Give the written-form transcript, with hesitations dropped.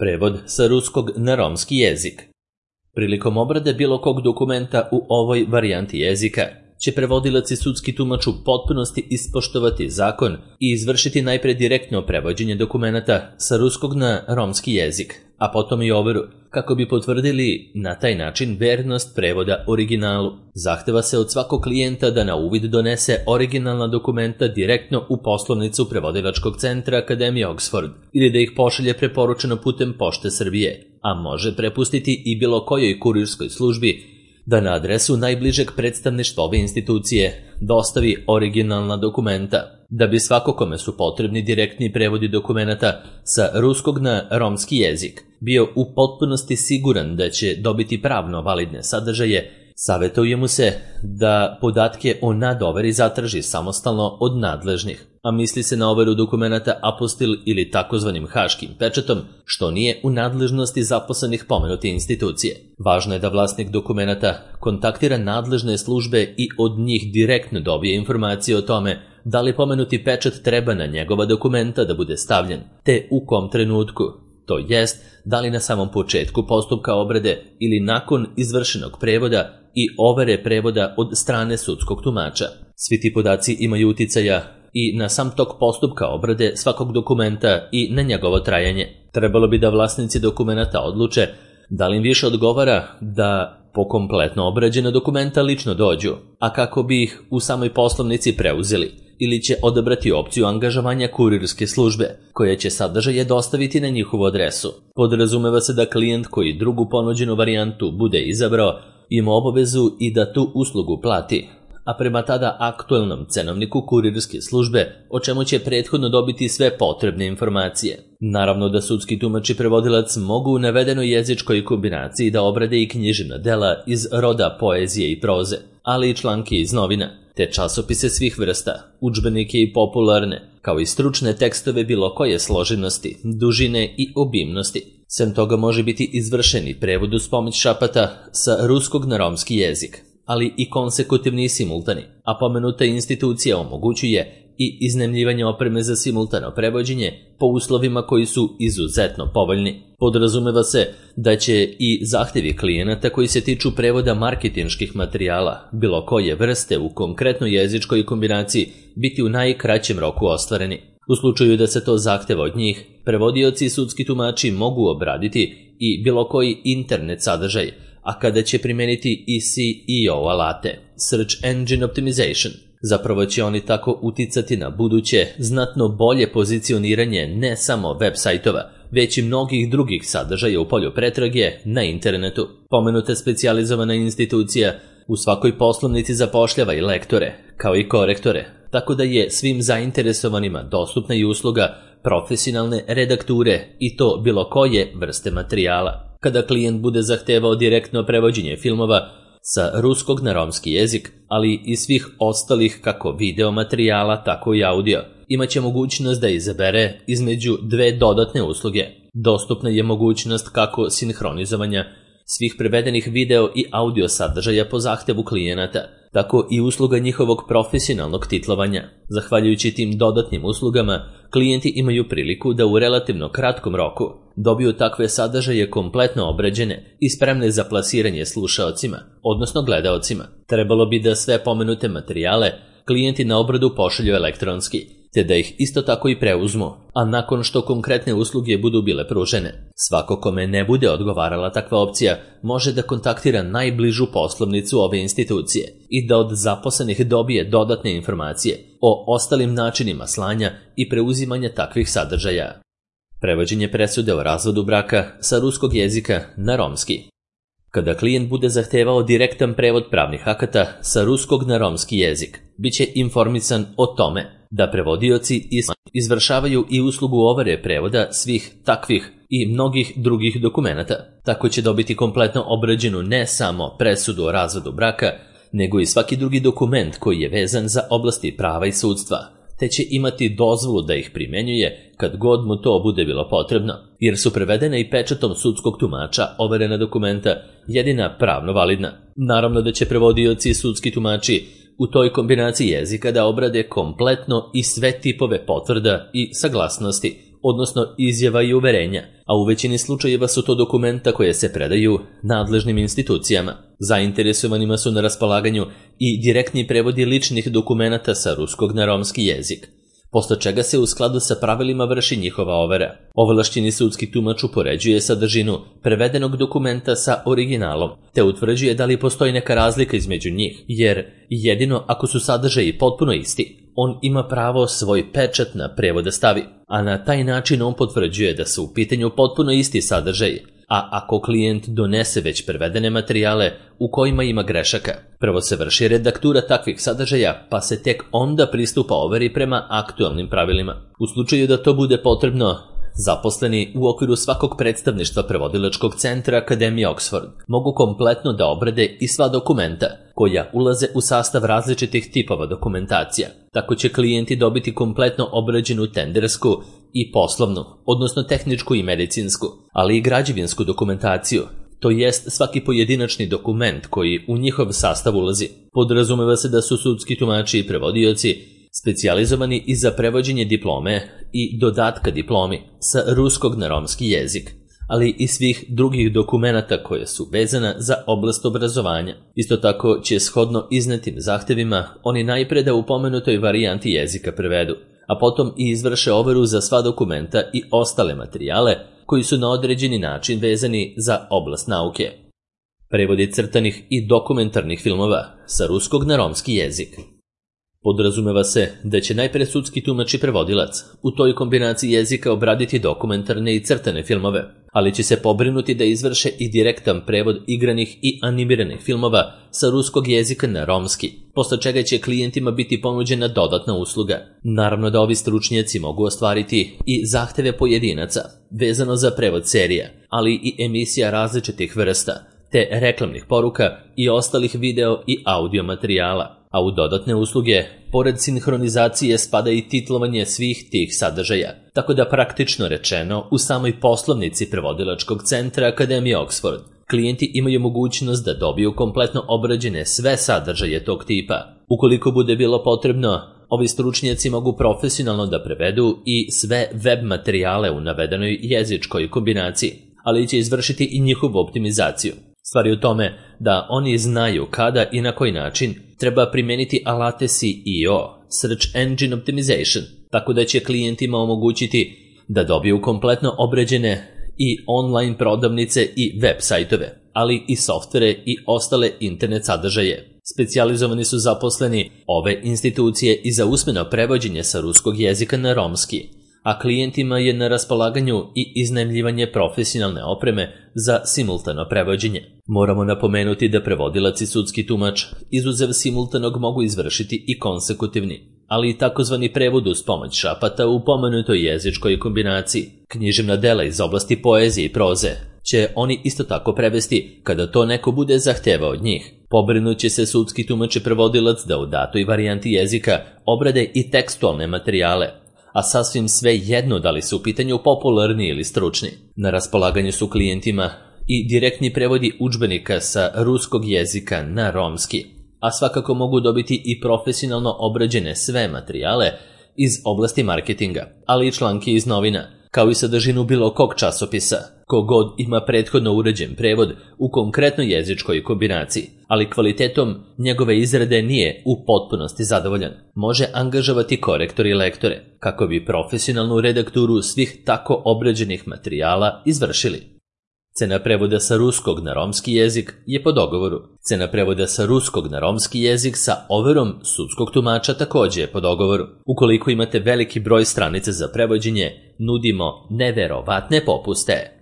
Prevod sa ruskog na romski jezik. Prilikom obrade bilo kog dokumenta u ovoj varijanti jezika će prevodilac i sudski tumač u potpunosti ispoštovati zakon i izvršiti najpre direktno prevođenje dokumenata sa ruskog na romski jezik, a potom i overu, kako bi potvrdili na taj način vernost prevoda originalu. Zahteva se od svakog klijenta da na uvid donese originalna dokumenta direktno u poslovnicu prevodilačkog centra Akademije Oxford ili da ih pošalje preporučeno putem Pošte Srbije, a može prepustiti i bilo kojoj kurirskoj službi da na adresu najbližeg predstavništva ove institucije dostavi originalna dokumenta, da bi svako kome su potrebni direktni prevodi dokumenata sa ruskog na romski jezik bio u potpunosti siguran da će dobiti pravno validne sadržaje. Savjetuje mu se da podatke o nadoveri zatraži samostalno od nadležnih, a misli se na overu dokumenata apostil ili takozvanim haškim pečatom, što nije u nadležnosti zaposlenih pomenute institucije. Važno je da vlasnik dokumenata kontaktira nadležne službe i od njih direktno dobije informacije o tome da li pomenuti pečat treba na njegova dokumenta da bude stavljen, te u kom trenutku, to jest da li na samom početku postupka obrade ili nakon izvršenog prevoda i overe prevoda od strane sudskog tumača. Svi ti podaci imaju uticaja i na sam tok postupka obrade svakog dokumenta i na njegovo trajanje. Trebalo bi da vlasnici dokumenata odluče da li im više odgovara da po kompletno obrađena dokumenta lično dođu, a kako bi ih u samoj poslovnici preuzeli, ili će odabrati opciju angažovanja kurirske službe, koja će sadržaje dostaviti na njihovu adresu. Podrazumeva se da klijent koji drugu ponuđenu varijantu bude izabrao ima obavezu i da tu uslugu plati, a prema tada aktuelnom cenovniku kurirske službe, o čemu će prethodno dobiti sve potrebne informacije. Naravno da sudski tumač i prevodilac mogu u navedenoj jezičkoj kombinaciji da obrade i književna dela iz roda poezije i proze, ali i članke iz novina, te časopise svih vrsta, udžbenike i popularne, kao i stručne tekstove bilo koje složenosti, dužine i obimnosti. Sem toga može biti izvršen i prevod uz pomoć šapata sa ruskog na romski jezik, ali i konsekutivni i simultani, a pomenuta institucija omogućuje i iznajmljivanje opreme za simultano prevođenje po uslovima koji su izuzetno povoljni. Podrazumeva se da će i zahtjevi klijenata koji se tiču prevoda marketinških materijala, bilo koje vrste u konkretnoj jezičkoj kombinaciji, biti u najkraćem roku ostvareni. U slučaju da se to zahteva od njih, prevodioci i sudski tumači mogu obraditi i bilo koji internet sadržaj, a kada će primeniti i SEO alate, Search Engine Optimization, zapravo će oni tako uticati na buduće znatno bolje pozicioniranje ne samo web sajtova, već i mnogih drugih sadržaja u polju pretrage na internetu. Pomenuta specijalizovana institucija u svakoj poslovnici zapošljava i lektore, kao i korektore, tako da je svim zainteresovanima dostupna i usluga profesionalne redakture i to bilo koje vrste materijala. Kada klijent bude zahtevao direktno prevođenje filmova sa ruskog na romski jezik, ali i svih ostalih kako video materijala, tako i audio, imaće mogućnost da izabere između dve dodatne usluge. Dostupna je mogućnost kako sinhronizovanja svih prevedenih video i audio sadržaja po zahtevu klijenata, tako i usluga njihovog profesionalnog titlovanja. Zahvaljujući tim dodatnim uslugama, klijenti imaju priliku da u relativno kratkom roku dobiju takve sadržaje kompletno obrađene i spremne za plasiranje slušaocima, odnosno gledaocima. Trebalo bi da sve pomenute materijale klijenti na obradu pošalju elektronski, te da ih isto tako i preuzmu, a nakon što konkretne usluge budu bile pružene. Svako kome ne bude odgovarala takva opcija može da kontaktira najbližu poslovnicu ove institucije i da od zaposlenih dobije dodatne informacije o ostalim načinima slanja i preuzimanja takvih sadržaja. Prevođenje presude o razvodu braka sa ruskog jezika na romski. Kada klijent bude zahtevao direktan prevod pravnih akata sa ruskog na romski jezik, bit će informisan o tome da prevodioci izvršavaju i uslugu overe prevoda svih takvih i mnogih drugih dokumenata. Tako će dobiti kompletno obrađenu ne samo presudu o razvodu braka, nego i svaki drugi dokument koji je vezan za oblasti prava i sudstva, te će imati dozvolu da ih primenjuje kad god mu to bude bilo potrebno, jer su prevedene i pečatom sudskog tumača overena dokumenta jedina pravno validna. Naravno da će prevodioci i sudski tumači u toj kombinaciji jezika da obrade kompletno i sve tipove potvrda i saglasnosti odnosno izjava i uverenja, a u većini slučajeva su to dokumenta koje se predaju nadležnim institucijama. Zainteresovanima su na raspolaganju i direktni prevodi ličnih dokumenata sa ruskog na romski jezik, posle čega se u skladu sa pravilima vrši njihova overa. Ovlašćeni sudski tumač upoređuje sadržinu prevedenog dokumenta sa originalom, te utvrđuje da li postoji neka razlika između njih, jer jedino ako su sadržaji potpuno isti, on ima pravo svoj pečat na prevod da stavi, a na taj način on potvrđuje da su u pitanju potpuno isti sadržaji. A ako klijent donese već prevedene materijale u kojima ima grešaka, prvo se vrši redaktura takvih sadržaja, pa se tek onda pristupa overi prema aktualnim pravilima. U slučaju da to bude potrebno, zaposleni u okviru svakog predstavništva prevodilačkog centra Akademije Oxford mogu kompletno da obrade i sva dokumenta koja ulaze u sastav različitih tipova dokumentacija. Tako će klijenti dobiti kompletno obrađenu tendersku i poslovnu, odnosno tehničku i medicinsku, ali i građevinsku dokumentaciju, to jest svaki pojedinačni dokument koji u njihov sastav ulazi. Podrazumeva se da su sudski tumači i prevodioci specijalizovani i za prevođenje diplome i dodatka diplomi sa ruskog na romski jezik, ali i svih drugih dokumenata koje su vezana za oblast obrazovanja. Isto tako će shodno iznetim zahtevima oni najpre da u pomenutoj varijanti jezika prevedu, a potom i izvrše overu za sva dokumenta i ostale materijale koji su na određeni način vezani za oblast nauke. Prevodi crtanih i dokumentarnih filmova sa ruskog na romski jezik. Podrazumeva se da će najpre sudski tumač i prevodilac u toj kombinaciji jezika obraditi dokumentarne i crtane filmove, ali će se pobrinuti da izvrše i direktan prevod igranih i animiranih filmova sa ruskog jezika na romski, posle čega će klijentima biti ponuđena dodatna usluga. Naravno da ovi stručnjaci mogu ostvariti i zahteve pojedinaca vezano za prevod serija, ali i emisija različitih vrsta, te reklamnih poruka i ostalih video i audio materijala. A u dodatne usluge, pored sinhronizacije, spada i titlovanje svih tih sadržaja, tako da praktično rečeno u samoj poslovnici prevodilačkog centra Akademije Oxford klijenti imaju mogućnost da dobiju kompletno obrađene sve sadržaje tog tipa. Ukoliko bude bilo potrebno, ovi stručnjaci mogu profesionalno da prevedu i sve web materijale u navedenoj jezičkoj kombinaciji, ali će izvršiti i njihovu optimizaciju. Stvar je u tome da oni znaju kada i na koji način treba primijeniti alate SEO, Search Engine Optimization, tako da će klijentima omogućiti da dobiju kompletno obrađene i online prodavnice i web sajtove, ali i softvere i ostale internet sadržaje. Specijalizovani su zaposleni ove institucije i za usmeno prevođenje sa ruskog jezika na romski, a klijentima je na raspolaganju i iznajmljivanje profesionalne opreme za simultano prevođenje. Moramo napomenuti da prevodilac i sudski tumač izuzev simultanog mogu izvršiti i konsekutivni, ali i takozvani prevod uz pomoć šapata u pomenutoj jezičkoj kombinaciji. Književna dela iz oblasti poezije i proze će oni isto tako prevesti kada to neko bude zahtevao od njih. Pobrinut će se sudski tumač i prevodilac da u datoj varijanti jezika obrade i tekstualne materijale, a sasvim sve jedno da li su u pitanju popularni ili stručni. Na raspolaganju su klijentima i direktni prevodi udžbenika sa ruskog jezika na romski, a svakako mogu dobiti i profesionalno obrađene sve materijale iz oblasti marketinga, ali i članke iz novina, kao i sadržinu bilo kog časopisa. Kogod ima prethodno uređen prevod u konkretnoj jezičkoj kombinaciji, ali kvalitetom njegove izrade nije u potpunosti zadovoljan, može angažovati korektore i lektore, kako bi profesionalnu redakturu svih tako obrađenih materijala izvršili. Cena prevoda sa ruskog na romski jezik je po dogovoru. Cena prevoda sa ruskog na romski jezik sa overom sudskog tumača takođe je po dogovoru. Ukoliko imate veliki broj stranica za prevođenje, nudimo neverovatne popuste.